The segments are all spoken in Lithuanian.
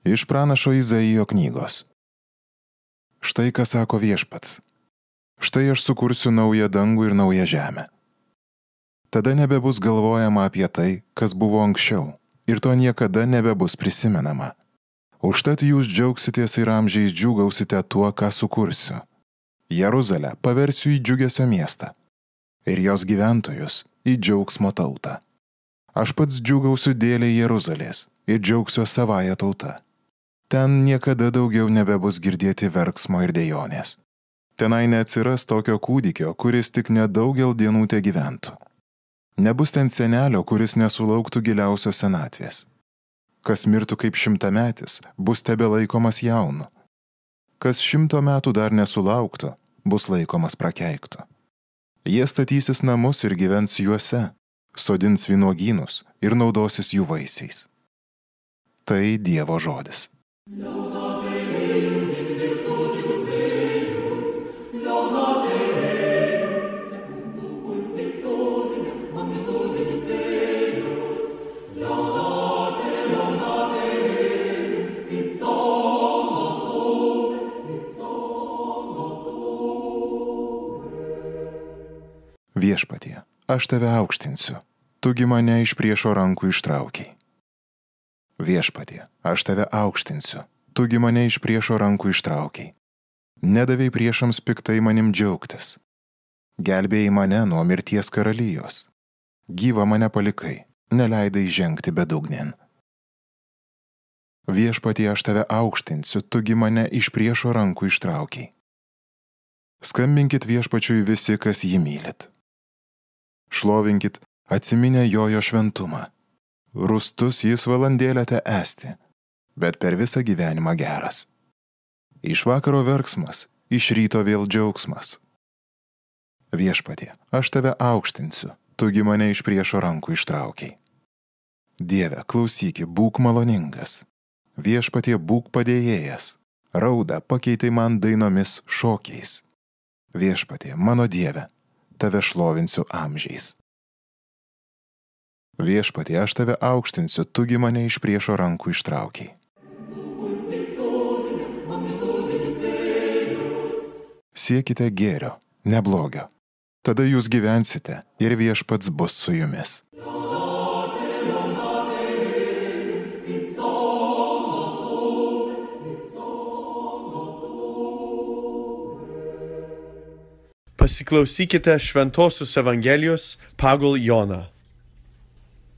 Iš pranašo Izaijo knygos. Štai ką sako Viešpats. Štai aš sukursiu naują dangų ir naują žemę. Tada nebebus galvojama apie tai, kas buvo anksčiau, ir to niekada nebebus prisimenama. Užtat jūs džiaugsitės ir amžiais džiūgausite tuo, ką sukursiu. Jeruzalę paversiu į džiugesio miestą ir jos gyventojus į džiaugsmo tautą. Aš pats džiūgausiu dėlei Jeruzalės ir džiaugsiu savąją tautą. Ten niekada daugiau nebebus girdėti verksmo ir dejonės. Tenai neatsiras tokio kūdikio, kuris tik nedaugel dienų te gyventų. Nebus ten senelio, kuris nesulauktų giliausios senatvės. Kas mirtų kaip 100-metis, bus tebelaikomas jaunu. Kas 100 metų dar nesulauktų, bus laikomas prakeiktu. Jie statysis namus ir gyvens juose, sodins vynuogynus ir naudosis jų vaisiais. Tai Dievo žodis. Viešpatie, aš tave aukštinsiu, tugi mane iš priešo rankų ištraukiai. Viešpatie, aš tave aukštinsiu, tugi mane iš priešo rankų ištraukiai. Nedavei priešams piktai manim džiaugtis. Gelbėjai mane nuo mirties karalijos. Gyvą mane palikai, neleidai žengti bedugnėn. Viešpatie, aš tave aukštinsiu, tugi mane iš priešo rankų ištraukiai. Skambinkit Viešpačiui visi, kas jį mylit. Šlovinkit, atsiminę jo šventumą. Rūstus jis valandėlę te esti, bet per visą gyvenimą geras. Iš vakaro verksmas, iš ryto vėl džiaugsmas. Viešpatie, aš tave aukštinsiu, tugi mane iš priešo rankų ištraukiai. Dieve, klausyki, būk maloningas. Viešpatie, būk padėjėjas. Raudą pakeitai man dainomis šokiais. Viešpatie, mano Dieve, tave šlovinsiu amžiais. Viešpatie, aš tave aukštinsiu, tugi mane iš priešo rankų ištraukiai. Siekite gėrio, ne blogio. Tada jūs gyvensite ir Viešpats bus su jumis. Pasiklausykite Šventosios Evangelijos pagal Joną.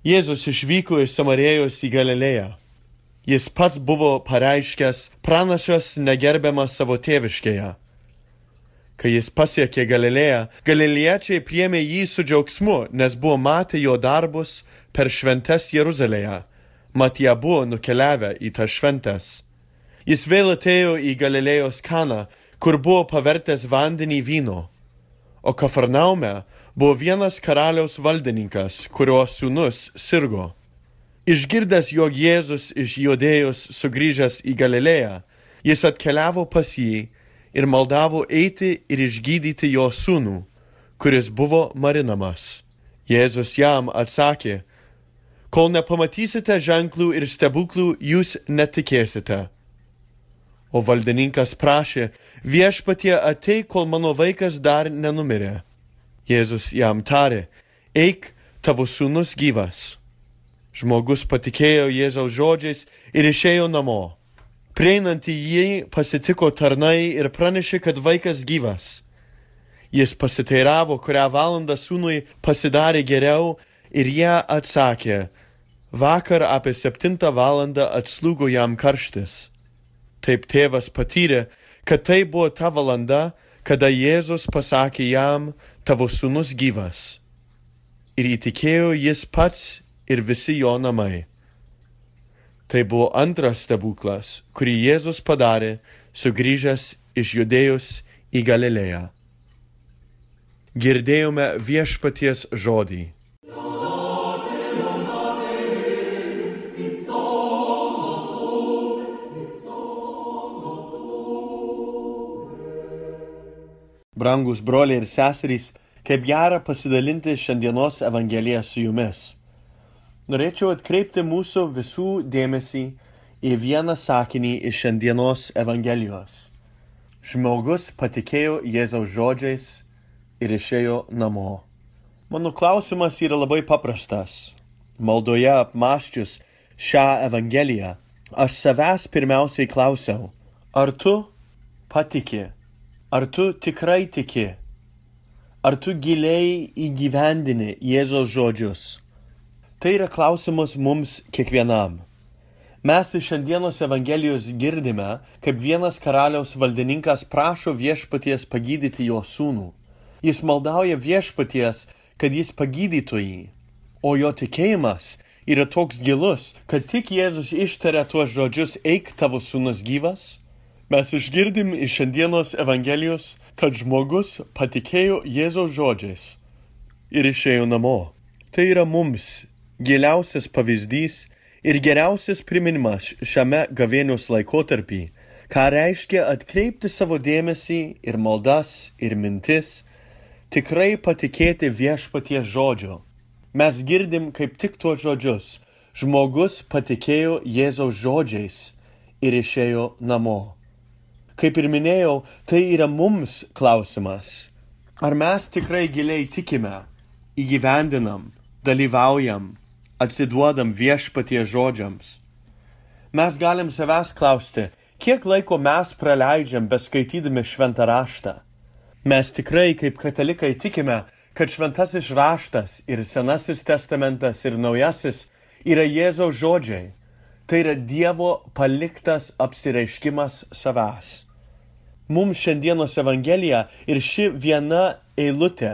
Jėzus išvyko iš Samarėjos į Galilėją. Jis pats buvo pareiškęs pranašas negerbiamas savo tėviškėje. Kai jis pasiekė Galilėją, galiliečiai priėmė jį su džiaugsmu, nes buvo matę jo darbus per šventes Jeruzalėje, mat jie buvo nukeliavę į tas šventes. Jis vėl atėjo į Galilėjos Kaną, kur buvo pavertęs vandenį vynu. O Kafarnaume buvo vienas karaliaus valdininkas, kurio sūnus sirgo. Išgirdęs, jog Jėzus iš Judėjos sugrįžęs į Galilėją, jis atkeliavo pas jį ir maldavo eiti ir išgydyti jo sūnų, kuris buvo marinamas. Jėzus jam atsakė, kol nepamatysite ženklų ir stebuklų, jūs netikėsite. O valdininkas prašė, Viešpatie, ateik, kol mano vaikas dar nenumirė. Jėzus jam tarė, eik, tavo sūnus gyvas. Žmogus patikėjo Jėzaus žodžiais ir išėjo namo. Prieinant į jį pasitiko tarnai ir pranešė, kad vaikas gyvas. Jis pasiteiravo, kurią valandą sūnui pasidarė geriau, ir jie atsakė, vakar apie 7 valandą atslūgo jam karštis. Taip tėvas patyrė, kad tai buvo ta valanda, kada Jėzus pasakė jam, tavo sūnus gyvas. Ir įtikėjo jis pats ir visi jo namai. Tai buvo antras stebuklas, kurį Jėzus padarė, sugrįžęs iš Judėjos į Galilėją. Girdėjome Viešpaties žodį. Brangus broliai ir seserys, kaip gera pasidalinti šiandienos Evangeliją su jumis. Norėčiau atkreipti mūsų visų dėmesį į vieną sakinį iš šiandienos Evangelijos. Žmogus patikėjo Jėzaus žodžiais ir išėjo namo. Mano klausimas yra labai paprastas. Maldoje apmąsčius šią Evangeliją, aš savęs pirmiausiai klausiau, ar tu patiki, ar tu tikrai tiki, ar tu giliai įgyvendini Jėzaus žodžius. Tai yra klausimas mums kiekvienam. Mes iš šiandienos Evangelijos girdime, kaip vienas karaliaus valdininkas prašo viešpaties pagydyti jo sūnų. Jis maldauja viešpaties, kad jis pagydytų jį. O jo tikėjimas yra toks gilus, kad tik Jėzus ištaria tuos žodžius, eik tavo sūnus gyvas. Mes išgirdim iš šiandienos Evangelijos, kad žmogus patikėjo Jėzaus žodžiais ir išėjo namo. Tai yra mums giliausias pavyzdys ir geriausias priminimas šiame gavėnios laikotarpį, ką reiškia atkreipti savo dėmesį ir maldas ir mintis, tikrai patikėti viešpaties žodžio. Mes girdim kaip tik tuos žodžius. Žmogus patikėjo Jėzaus žodžiais ir išėjo namo. Kaip ir minėjau, tai yra mums klausimas. Ar mes tikrai giliai tikime, įgyvendinam, dalyvaujam, atsiduodam viešpaties žodžiams? Mes galim savęs klausti, kiek laiko mes praleidžiam beskaitydami šventą raštą. Mes tikrai kaip katalikai tikime, kad šventasis raštas ir Senasis testamentas ir Naujasis yra Jėzaus žodžiai. Tai yra Dievo paliktas apsireiškimas savęs. Mums šiandienos Evangelija ir ši viena eilutė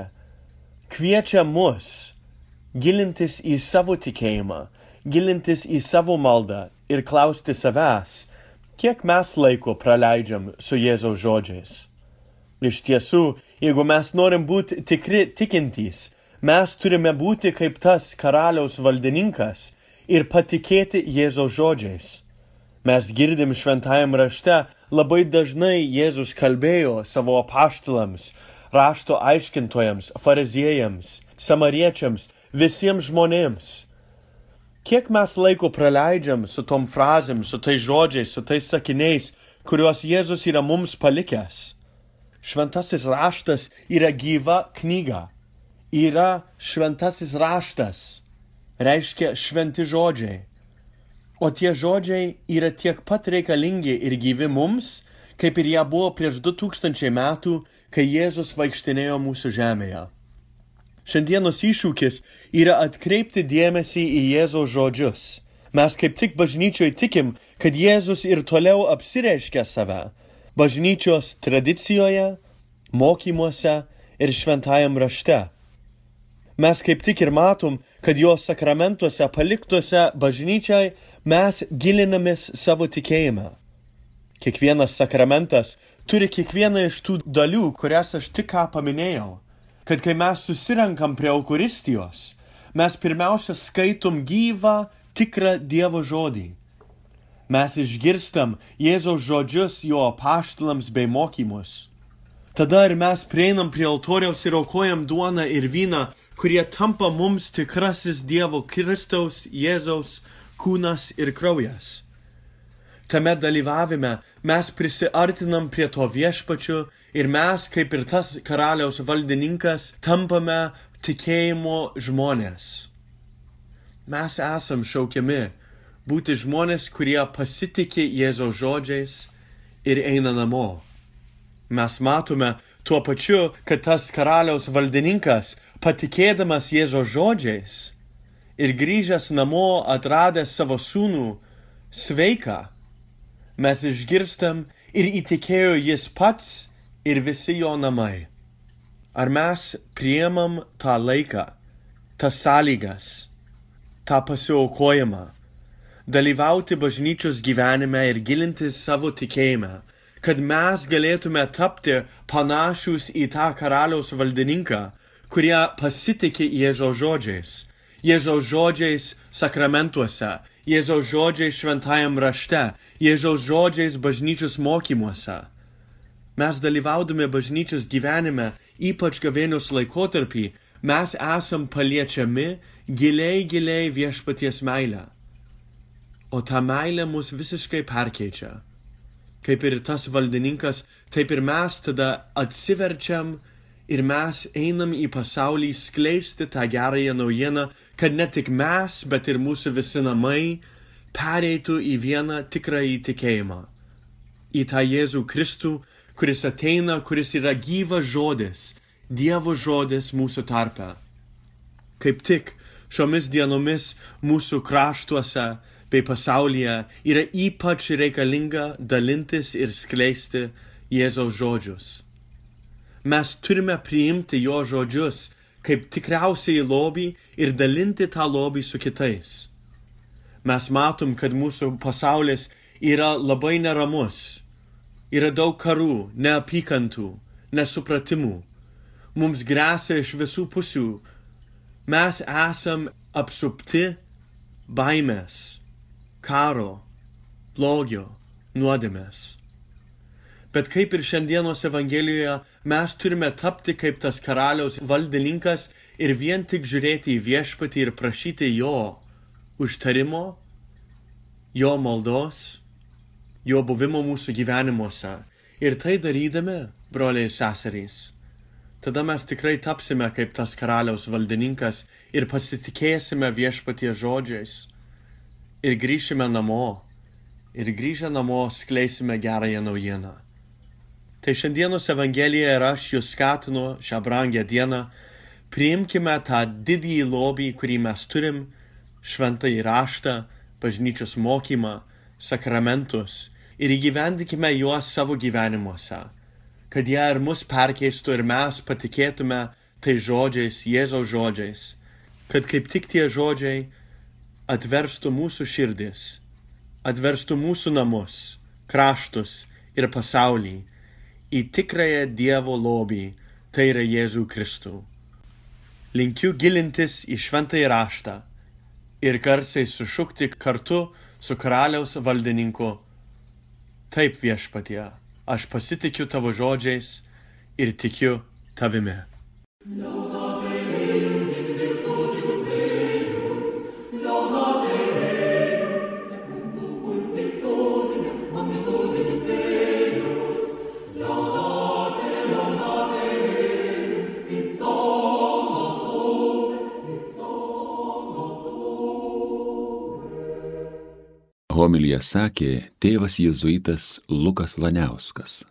kviečia mus gilintis į savo tikėjimą, gilintis į savo maldą ir klausti savęs, kiek mes laiko praleidžiam su Jėzaus žodžiais. Iš tiesų, jeigu mes norim būti tikri tikintys, mes turime būti kaip tas karaliaus valdininkas ir patikėti Jėzaus žodžiais. Mes girdim šventajam rašte, labai dažnai Jėzus kalbėjo savo apaštalams, rašto aiškintojams, fariziejams, samariečiams, visiems žmonėms. Kiek mes laiko praleidžiam su tom frazėm, su tais žodžiais, su tais sakiniais, kuriuos Jėzus yra mums palikęs? Šventasis raštas yra gyva knyga. Yra šventasis raštas. Reiškia šventi žodžiai. O tie žodžiai yra tiek pat reikalingi ir gyvi mums, kaip ir jie buvo prieš 2000 metų, kai Jėzus vaikštinėjo mūsų žemėje. Šiandienos iššūkis yra atkreipti dėmesį į Jėzaus žodžius. Mes kaip tik bažnyčioje tikim, kad Jėzus ir toliau apsireiškia save. Bažnyčios tradicijoje, mokymuose ir šventajam rašte. Mes kaip tik ir matom, kad jo sakramentuose paliktuose bažnyčiai mes gilinamės savo tikėjimą. Kiekvienas sakramentas turi kiekvieną iš tų dalių, kurias aš tik ką paminėjau. Kad kai mes susirenkam prie Eucharistijos, mes pirmiausia skaitom gyvą, tikrą Dievo žodį. Mes išgirstam Jėzaus žodžius jo apaštalams bei mokymus. Tada ir mes prieinam prie altoriaus ir aukojam duoną ir vyną, kurie tampa mums tikrasis Dievo Kristaus Jėzaus kūnas ir kraujas. Tame dalyvavime mes prisiartinam prie to viešpačiu ir mes, kaip ir tas karaliaus valdininkas, tampame tikėjimo žmonės. Mes esam šaukiami būti žmonės, kurie pasitikė Jėzaus žodžiais ir eina namo. Mes matome tuo pačiu, kad tas karaliaus valdininkas, patikėdamas Jėzaus žodžiais ir grįžęs namo atradęs savo sūnų sveiką, mes išgirstam ir įtikėjo jis pats ir visi jo namai. Ar mes priimam tą laiką, tas sąlygas, tą pasiaukojimą, dalyvauti bažnyčios gyvenime ir gilintis savo tikėjimą, kad mes galėtume tapti panašus į tą karaliaus valdininką, kurie pasitikė Jėzaus žodžiais. Jėzaus žodžiais sakramentuose, Jėzaus žodžiais šventajam rašte, Jėzaus žodžiais bažnyčios mokymuose. Mes dalyvaudami bažnyčios gyvenime, ypač gavėnios laikotarpį, mes esam paliečiami giliai viešpaties meilę. o ta meilė mus visiškai perkeičia. Kaip ir tas valdininkas, taip ir mes tada atsiverčiam ir mes einam į pasaulį skleisti tą gerąją naujieną, kad ne tik mes, bet ir mūsų visi namai pereitų į vieną tikrąjį tikėjimą. Į tą Jėzų Kristų, kuris ateina, kuris yra gyvas žodis, Dievo žodis mūsų tarpe. Kaip tik šiomis dienomis mūsų kraštuose bei pasaulyje yra ypač reikalinga dalintis ir skleisti Jėzaus žodžius. Mes turime priimti jo žodžius kaip tikriausiai lobį ir dalinti tą lobį su kitais. Mes matom, kad mūsų pasaulis yra labai neramus. Yra daug karų, neapykantų, nesupratimų. Mums gresia iš visų pusių. Mes esam apsupti baimės, karo, blogio, nuodėmės. Bet kaip ir šiandienos Evangelijoje, mes turime tapti kaip tas karaliaus valdininkas ir vien tik žiūrėti į viešpatį ir prašyti jo užtarimo, jo maldos, jo buvimo mūsų gyvenimuose. Ir tai darydami, broliai ir seserys, tada mes tikrai tapsime kaip tas karaliaus valdininkas ir pasitikėsime viešpaties žodžiais. Ir grįšime namo. Ir grįžę namo skleisime gerąją naujieną. Tai šiandienos Evangelija ir aš jūs skatinu šią brangią dieną. Priimkime tą didįjį lobį, kurį mes turim, šventąjį raštą, bažnyčios mokymą, sakramentus ir įgyvendikime juos savo gyvenimuose, kad jie ir mus perkeistų ir mes patikėtume tai žodžiais, Jėzaus žodžiais, kad kaip tik tie žodžiai atverstų mūsų širdis, atverstų mūsų namus, kraštus ir pasaulį į tikrąją Dievo lobį, tai yra Jėzų Kristų. Linkiu gilintis į šventąjį raštą ir garsiai sušukti kartu su karaliaus valdininku: Taip, viešpatie, aš pasitikiu tavo žodžiais ir tikiu tavimi. Homiliją sakė tėvas jėzuitas Lukas Laniauskas.